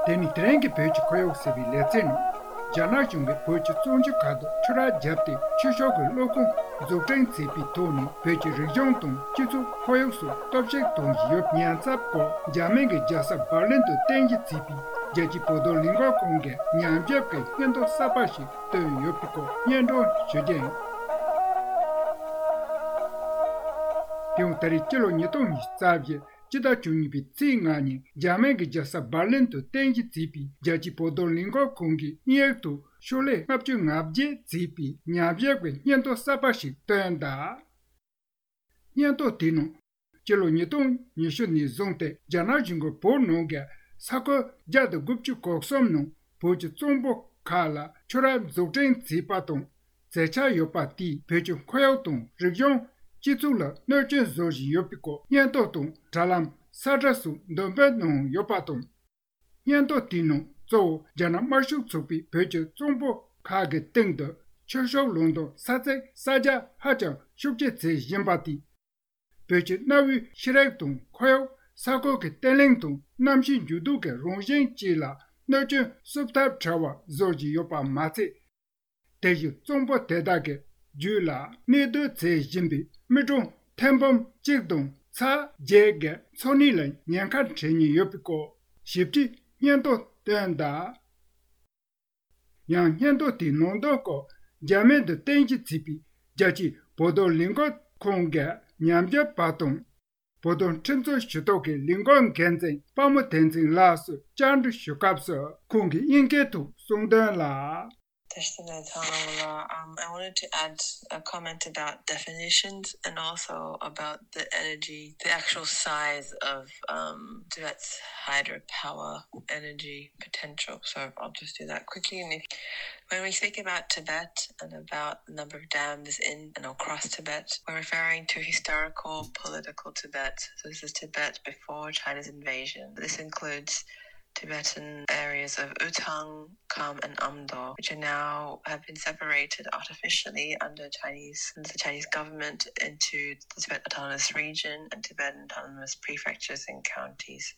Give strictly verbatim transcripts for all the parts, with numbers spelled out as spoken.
དེ་ནི་དེ་རིང་གི་བོད་ཀྱི་ཁོར་ཡུག་ཟེར་བའི་ལེ་ཚན་ནང་། རྒྱ་ནག་གཞུང་གིས་བོད་ཀྱི་བཙོན་ཆུ་ཁག་ཏུ་ཆུ་རགས་བརྒྱབ་སྟེ་ཆུ་ཤུགས་ཀྱི་གློག་ཁུངས་འཛུགས་སྐྲུན་བྱས་པའི་ཐོག་ནས། བོད་ཀྱི་རིག་གཞུང་དང་སྤྱི་ཚོགས་ཁོར་ཡུག་སོགས་གཏོར་བཤིག་གཏོང་བཞིན་ཡོད་ཉེན་ཚབས་སྐོར། འཇར་མན་གྱི་རྒྱལ་ས་འབར་ལིན་དུ་རྟེན་གཞི་བྱས་པའི་རྒྱལ་སྤྱིའི་བོད་དོན་ལས་འགུལ་ཁང་གིས་ཉམས་ཞིབ་ཀྱི་སྙན་ཐོ་གསར་པ་ཞིག་བཏོན་ཡོད་པའི་སྐོར་སྙན་སྒྲོན་ཞུ་རྒྱུ་ཡིན། དེ་ཡང་ད་རེས་སྤྱི་ལོ་ཉིས་སྟོང་ཉི་ཤུ་རྩ་བཞི་སྤྱི་ཟླ་བཅུ་གཉིས་པའི་ཚེས་ལྔ་ཉིན། འཇར་མན་གྱི་རྒྱལ་ས་འབར་ལིན་དུ་རྟེན་གཞི་བྱས་པའི་རྒྱལ་སྤྱིའི་བོད་དོན་ལས་འགུལ་ཁང་གིས་དབྱིན་ཡིག་ཏུ་ཤོག་ལྷེ་ལྔ་བཅུ་ང་བརྒྱད་བྱས་པའི་ཉམས་ཞིབ་ཀྱི་སྙན་ཐོ་གསར་པ་ཞིག་བཏོན་གདའ། སྙན་ཐོ་དེའི་ནང་། སྤྱི་ལོ་ཉིས་སྟོང་ཉི་ཤུ་ནས་བཟུང་སྟེ་རྒྱ་ནག་གཞུང་གིས་བོད་ནང་གི་ས་ཁུལ་བརྒྱ་དང་དགུ་བཅུ་གོ་གསུམ་ནང་བོད་ཀྱི་གཙང་པོ་ཁག་ལ་ཆུ་རགས་འཛུགས་སྐྲུན་བྱས་པ་དང་། མཛད་འཆར་ཡོད་པ་དེས་བོད་ཀྱི་ཁོར་ཡུག་དང་རིག་གཞུང་། སྤྱི་ཚོགས་ལ་གནོད་སྐྱོན་བཟོ་བཞིན་ཡོད་པའི་སྐོར་སྙན་ཐོ་དང་དྲ་ལམ་ས་ཁྲ་སོགས་འདོན་སྤེལ་གནང་ཡོད་པ་དང་། སྙན་ཐོ་དེའི་ནང་གཙོ་བོ་རྒྱ་ནག་དམར་ཤོག་ཚོགས་པས་བོད་ཀྱི་གཙང་པོ་ཁག་གི་སྟེང་དུ་ཆུ་ཤུགས་གློག་འདོན་ས་ཚིགས་གསར་རྒྱག་ཧ་ཅང་ཤུགས་ཆེ་བྱེད་བཞིན་པ་དེས། བོད་ཀྱི་གནའ་བོའི་ཤེས་རིག་དང་ཁོར་ཡུག་ས་ཁུལ་གྱི་བརྟན་ལྷིང་དང་གནམ་གཤིས་འགྱུར་ལྡོག་གི་རང་བཞིན་བཅས་ལ་གནོད་སྐྱོན་བསུབ་ཐབས་བྲལ་བ་བཟོ་བཞིན་ཡོད་པ་མ་ཚད། དེ་བཞིན་གཙང་པོ་དེ་དག་གི་རྒྱུད་ལ་གནས་སྡོད་བྱེད་བཞིན་པའི་མི་གྲངས་ཐེར་འབུམ་གཅིག་དང་ཚེག་བརྒྱད་ཀྱི་འཚོ་གནས་ལ་ཉེན་ཁ་འཕྲད་ཉེན་ཡོད་པའི་སྐོར་ཞིབ་ཕྲའི་སྙན་ཐོ་བཏོན་གདའ། ཡང་སྙན་ཐོ་དེའི་ནང་དོན་སྐོར་འཇར་མན་དུ་རྟེན་གཞི་བྱས་པའི་རྒྱལ་སྤྱིའི་བོད་དོན་ལས་འགུལ་ཁང་གི་ཉམས་ཞིབ་པ་དང་། བོད་དོན་ཁྲིམས་རྩོད་ཞུ་གཏུག་གི་ལས་འགུལ་འགན་འཛིན་དཔའ་མོ་བསྟན་འཛིན་ལགས་སུ་བཅར་འདྲི་ཞུ་སྐབས་སུ་ཁོང་གིས་དབྱིན་སྐད་དུ་གསུངས་དོན་ལ། Thank you, Natalia. Um, I wanted to add a comment about definitions and also about the energy, the actual size of um, Tibet's hydropower energy potential. So I'll just do that quickly. And if, when we speak about Tibet and about the number of dams in and across Tibet, we're referring to historical political Tibet. So this is Tibet before China's invasion. This includes Tibetan areas of Utang, Kham, and Amdo, which are now have been separated artificially under Chinese under the Chinese government into the Tibet Autonomous Region and Tibetan Autonomous Prefectures and Counties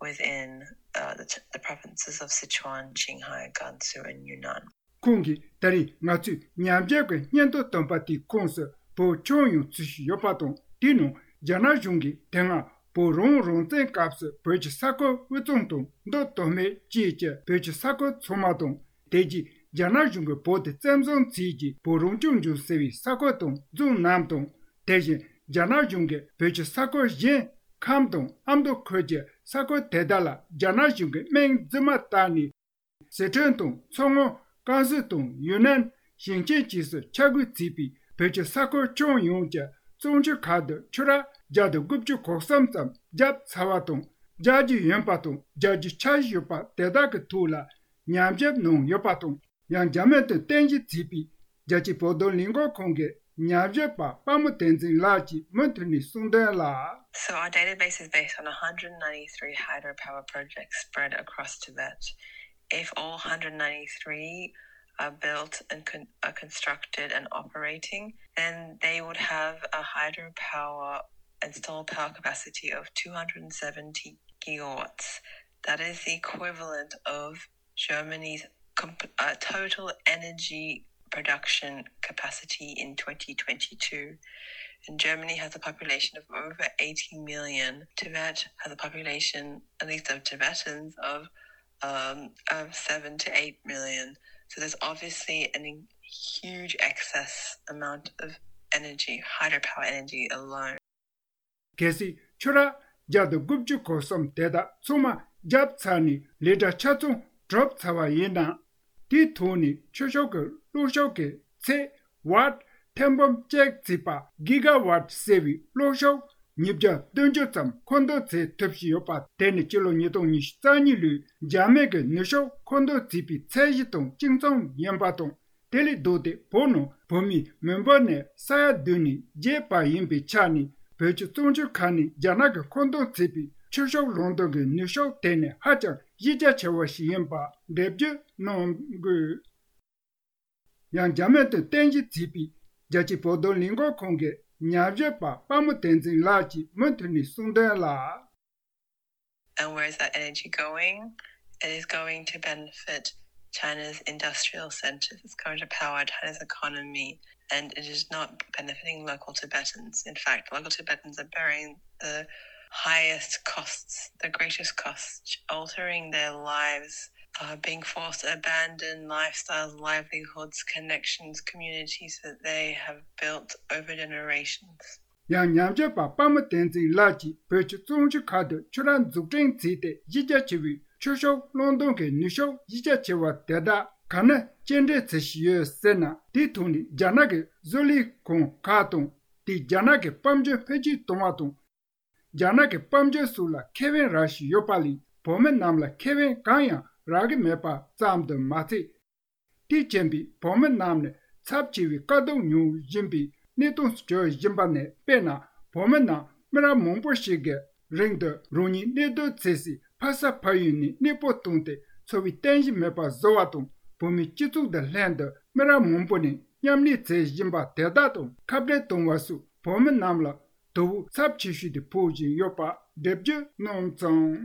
within uh, the, the provinces of Sichuan, Qinghai, Gansu, and Yunnan. ཁོང་གིས་ད་རེས་ང་ཚོས་ཉམས་ཞིབ་ཀྱི་སྙན་ཐོ་བཏོན་པ་དེའི་ཁོངས་སུ་བོད་ཁྱོན་ཡོངས་ཚུད་བཞིན་ཡོད་པ་དང་། དེའི་ནང་རྒྱ་ནག་གཞུང་གིས་དེ་སྔ་བོད་རང་དབང་རང་བཙན་སྐབས་སུ་བོད་ཀྱི་ས་ཁུལ་དབུས་གཙང་དང་མདོ་སྟོད་སྨད་བཅས་ཀྱི་བོད་ཀྱི་ས་ཁུལ་ཚང་མ་དང་། དེ་རྗེས་རྒྱ་ནག་གཞུང་གིས་བོད་དེ་བཙན་བཟུང་བྱས་རྗེས་བོད་རང་སྐྱོང་ལྗོངས་ཟེར་བའི་ས་ཁུལ་དང་རྫོང་རྣམས་དང་། དེ་བཞིན་རྒྱ་ནག་གཞུང་གིས་བོད་ཀྱི་ས་ཁུལ་གཞན་ཁམས་དང་ཨ་མདོ་ཁུལ་གྱི་ས་ཁུལ་དེ་དག་ལ་རྒྱ་ནག་གཞུང་གིས་མིང་རྫུན་མ་བཏགས་ནས། ཟི་ཁྲོན་དང་མཚོ་སྔོན། ཀན་སུའུ་དང་ཡུན་ནན། ཞིང་ཆེན་བཅས་སུ་ཆ་བགོས་བྱས་པའི་བོད་ཀྱི་ས་ཁུལ་ཁྱོན་ཡོངས་ཀྱི་གཙང་ཆུ་ཁག་ཏུ་ཆུ་རགས་བརྒྱ་དང་དགུ་བཅུ་གོ་གསུམ་ཙམ་བརྒྱབ་ཚར་བ་དང་། རྒྱག་རྒྱུ་ཡིན་པ་དང་རྒྱག་རྒྱུའི་འཆར་གཞི་ཡོད་པ་དེ་དག་གི་ཐོག་ལ་ཉམས་ཞིབ་གནང་ཡོད་པ་དང་། ཡང་རྒྱ་མི་དང་རྟེན་གཞི་བྱས་པའི་རྒྱལ་སྤྱིའི་བོད་དོན་ལས་འགུལ་ཁང་གི་ཉམས་ཞིབ་པ་དཔའ་མོ་བསྟན་འཛིན་ལགས་ཀྱིས་མུ་མཐུད་ནས་གསུངས་དོན་ལ། So our database is based on one hundred ninety-three hydropower projects spread across Tibet. If all one hundred ninety-three are built and con- are constructed and operating, then they would have a hydropower installed power capacity of two hundred seventy gigawatts. That is the equivalent of Germany's comp- uh, total energy production capacity in twenty twenty-two. And Germany has a population of over eighty million. Tibet has a population, at least of Tibetans, of um, of seven to eight million. So there's obviously a huge excess amount of energy, hydropower energy alone. གལ་སྲིད་ཆུ་རགས་བརྒྱ་དང་དགུ་བཅུ་གོ་གསུམ་དེ་དག་ཚང་མ་བརྒྱབ་ཚར་ནས་ལས་གྲྭ་ཆ་ཚང་གྲུབ་ཚར་བ་ཡིན་ན། དེའི་ཐོག་ནས་ཆུ་ཤུགས་ཀྱི་གློག་ཤུགས་ཀྱི་ཚད་ཝཊ་ཐེར་འབུམ་གཅིག་བརྩིས་པ་གི་ག་ཝཊ་ཟེར་བའི་གློག་ཤུགས་ཉིས་བརྒྱ་བདུན་ཅུ་ཙམ་མཁོ་འདོན་བྱེད་ཐུབ་བཞིན་ཡོད་པ་དེ་ནི་སྤྱི་ལོ་ཉིས་སྟོང་ཉི་ཤུ་རྩ་གཉིས་ལོའི་རྒྱ་མི་གི་ནུས་ཤུགས་མཁོ་འདོན་བྱས་པའི་ཚད་གཞི་དང་གཅིག་མཚུངས་ཡིན་པ་དང་། དེ་ལས་ལྡོག་སྟེ་བོད་ནང་བོད་མིའི་མི་འབོར་ནི་ས་ཡ་བདུན་ནས་བརྒྱད་བར་ཡིན་པའི་ཆ་ནས། བོད་ཀྱི་གཙང་ཆུ་ཁག་ནས་རྒྱ་ནག་གིས་མཁོ་འདོན་བྱས་པའི་ཆུ་ཤུགས་གློག་འདོན་གྱི་ནུས་ཤུགས་དེ་ནི་ཧ་ཅང་གཞི་རྒྱ་ཆེ་བ་ཞིག་ཡིན་པ་འགྲེལ་བརྗོད་གནང་དགོས། ཡང་རྒྱ་མི་དང་རྟེན་གཞི་བྱས་པའི་རྒྱལ་སྤྱིའི་བོད་དོན་ལས་འགུལ་ཁང་གི་ཉམས་ཞིབ་པ་དཔའ་མོ་བསྟན་འཛིན་ལགས་ཀྱིས་མུ་མཐུད་ནས་གསུངས་དོན་ལ། And where is that energy going? It is going to benefit China's industrial centers. It's going to power China's economy. And it is not benefiting local Tibetans. In fact, local Tibetans are bearing the highest costs, the greatest costs, altering their lives, uh, being forced to abandon lifestyles, livelihoods, connections, communities that they have built over generations. ཡང་ཉམས་ཞིབ་པ་དཔའ་མོ་བསྟན་འཛིན་ལགས་ཀྱིས་བོད་ཀྱི་ཙོང་ཆུ་ཁ་ཐུག་ཆུ་རགས་འཛུགས་སྐྲུན་བྱས་ཏེ་གཞི་རྒྱ་ཆེ་བའི་ཆུ་ཤུགས་གློག་འདོན་གྱི་ནུས་ཤུགས་གཞི་རྒྱ་ཆེ་བ་དེ་དག་ག་ནས་སྐྱེལ་འདྲེན་བྱེད་བཞིན་ཡོད་ཟེར་ན། དེའི་ཐོག་ནས་རྒྱ་ནག་གི་བཟོ་ལས་ཁང་ཁག་དང་དེས་རྒྱ་ནག་གི་དཔལ་འབྱོར་འཕེལ་རྒྱས་གཏོང་བ་དང་། རྒྱ་ནག་གི་དཔལ་འབྱོར་སོགས་ལ་ཁེ་ཕན་རག་བཞིན་ཡོད་པ་ལས་བོད་མི་རྣམས་ལ་ཁེ་ཕན་གང་ཡང་རག་གི་མེད་པ་ཙམ་དུ་མ་ཚད། དེས་རྐྱེན་པས་བོད་མི་རྣམས་ནས་ཚབས་ཆེ་བའི་དཀའ་སྡུག་མྱོང་བཞིན་པའི་གནས་སྟངས་སུ་གྱུར་བཞིན་པ་ནས། དཔེར་ན། བོད་མི་རྣམས་མི་རབས་མང་པོ་ཞིག་གིས་རིང་དུ་རང་ཉིད་གནས་སྡོད་བྱེད་སའི་ཕ་ས་ཕ་ཡུལ་ནས་གནས་སྤོ་བཏང་སྟེ་འཚོ་བའི་རྟེན་གཞི་མེད་པ་བཟོ་བ་དང་། བོད་མིའི་སྤྱི་ཚོགས་དང་ལྷན་དུ་མི་རབས་མང་པོ་ནས་མཉམ་གནས་བྱེད་བཞིན་པ་དེ་དག་དང་ཁ་བྲལ་གཏོང་བ་སོགས་བོད་མི་རྣམས་ལ་དོ་ཕོག་ཚབས་ཆེ་ཤོས་དེ་ཕོག་བཞིན་ཡོད་པ་འགྲེལ་བརྗོད་གནང་སོང་།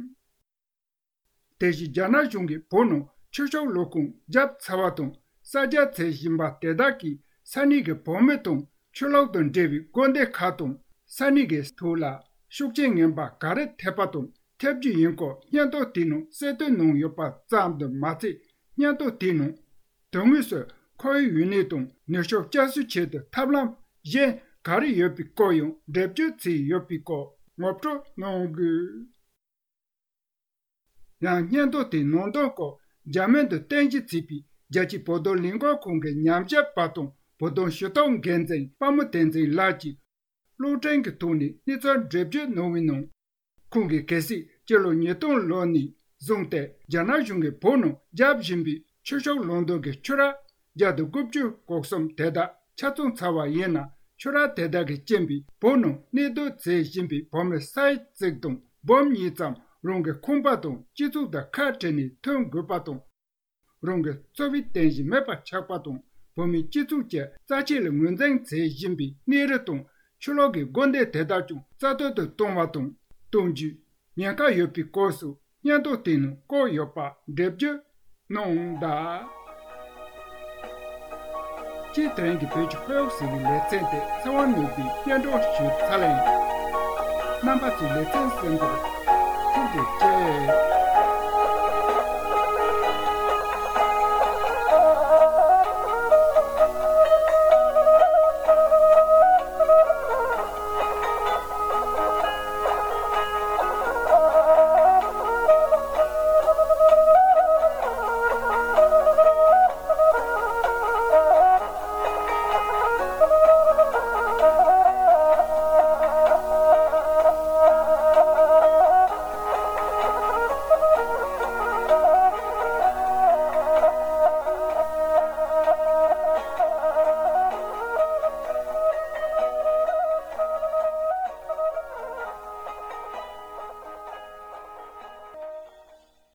དེ་བཞིན་རྒྱ་ནག་གཞུང་གིས་བོད་ནང་ཆུ་ཤུགས་གློག་ཁང་བརྒྱབ་ཚར་བ་དང་གསར་རྒྱག་བྱེད་བཞིན་པ་དེ་དག་གིས་ས་གནས་ཀྱི་བོད་མི་དང་ཆུ་གློག་དང་འབྲེལ་བའི་དགོན་སྡེ་ཁག་དང་ས་གནས་ཀྱི་ཐོག་ལ་ཤུགས་རྐྱེན་ངན་པ་ག་རེ་ཐེབས་པ་དང་ཐེབས་རྒྱུ་ཡིན་སྐོར་སྙན་ཐོ་དེའི་ནང་གསལ་སྟོན་གནང་ཡོད་པ་ཙམ་དུ་མ་ཚད། སྙན་ཐོ་དེའི་ནང་དོན་དངོས་སུ་ཁོར་ཡུག་ཡུན་གནས་དང་ནུས་ཤུགས་བསྐྱར་གསོའི་ཆེད་དུ་ཐབས་ལམ་གཞན་ག་རེ་ཡོད་པའི་སྐོར་ཡང་འགྲེལ་བརྗོད་བྱས་ཡོད་པའི་སྐོར་ངོ་སྤྲོད་གནང་དགོས། ཡང་སྙན་ཐོ་དེའི་ནང་དོན་སྐོར་འཇར་མན་དུ་རྟེན་གཞི་བྱས་པའི་རྒྱལ་སྤྱིའི་བོད་དོན་ལས་འགུལ་ཁང་གི་ཉམས་ཞིབ་པ་དང་བོད་དོན་ཞུ་གཏུག་འགན་འཛིན་དཔའ་མོ་བསྟན་འཛིན་ལགས་ཀྱིས་གློག་འཕྲིན་གྱི་ཐོག་ནས་གནས་ཚུལ་འགྲེལ་བརྗོད་གནང་བའི་ནང་། ཁོང་གིས་གལ་སྲིད་སྤྱི་ལོ་ཉིས་སྟོང་ལོ་ནས་བཟུང་སྟེ་རྒྱ་ནག་གཞུང་གིས་བོད་ནང་བརྒྱབ་བཞིན་པའི་ཆུ་ཤུགས་གློག་འདོན་གྱི་ཆུ་རགས་བརྒྱ་དང་དགུ་བཅུ་གོ་གསུམ་དེ་དག་ཆ་ཚང་ཚར་བ་ཡིན་ན། ཆུ་རགས་དེ་དག་གི་རྐྱེན་པས་བོད་ནང་གནས་སྡོད་བྱེད་བཞིན་པའི་བོད་མི་ས་ཡ་གཅིག་དང་འབུམ་གཉིས་ཙམ་རང་གི་ཁང་པ་དང་སྤྱི་ཚོགས་དང་ཁ་བྲལ་ནས་ཐོན་དགོས་པ་དང་། རང་གི་འཚོ་བའི་རྟེན་གཞི་མེད་པར་ཆགས་པ་དང་། བོད་མིའི་སྤྱི་ཚོགས་ཀྱི་རྩ་ཆེ་ལ་ངོས་འཛིན་བྱེད་བཞིན་པའི་གནས་རི་དང་ཆུ་གློག་གི་དགོན་སྡེ་དེ་དག་ཀྱང་རྩ་གཏོར་དུ་གཏོང་བ་དང་གཏོང་རྒྱུའི་ཉེན་ཁ་ཡོད་པའི་སྐོར་སོགས་སྙན་ཐོ་དེའི་ནང་བཀོད་ཡོད་པ་འགྲེལ་བརྗོད་གནང་གདའ། སྤྱིར་དེ་རིང་གི་བོད་ཀྱི་ཁོར་ཡུག་ཟེར་བའི་ལེ་ཚན་དེ་ཚེ་དབང་ནོར་བུས་སྙན་སྒྲོན་ཞུས་ཚར་ལ་ཡིན། རྣམ་པ་ཚོས་ལེ་ཚན་གསན་པར་ཐུགས་རྗེ་ཆེ།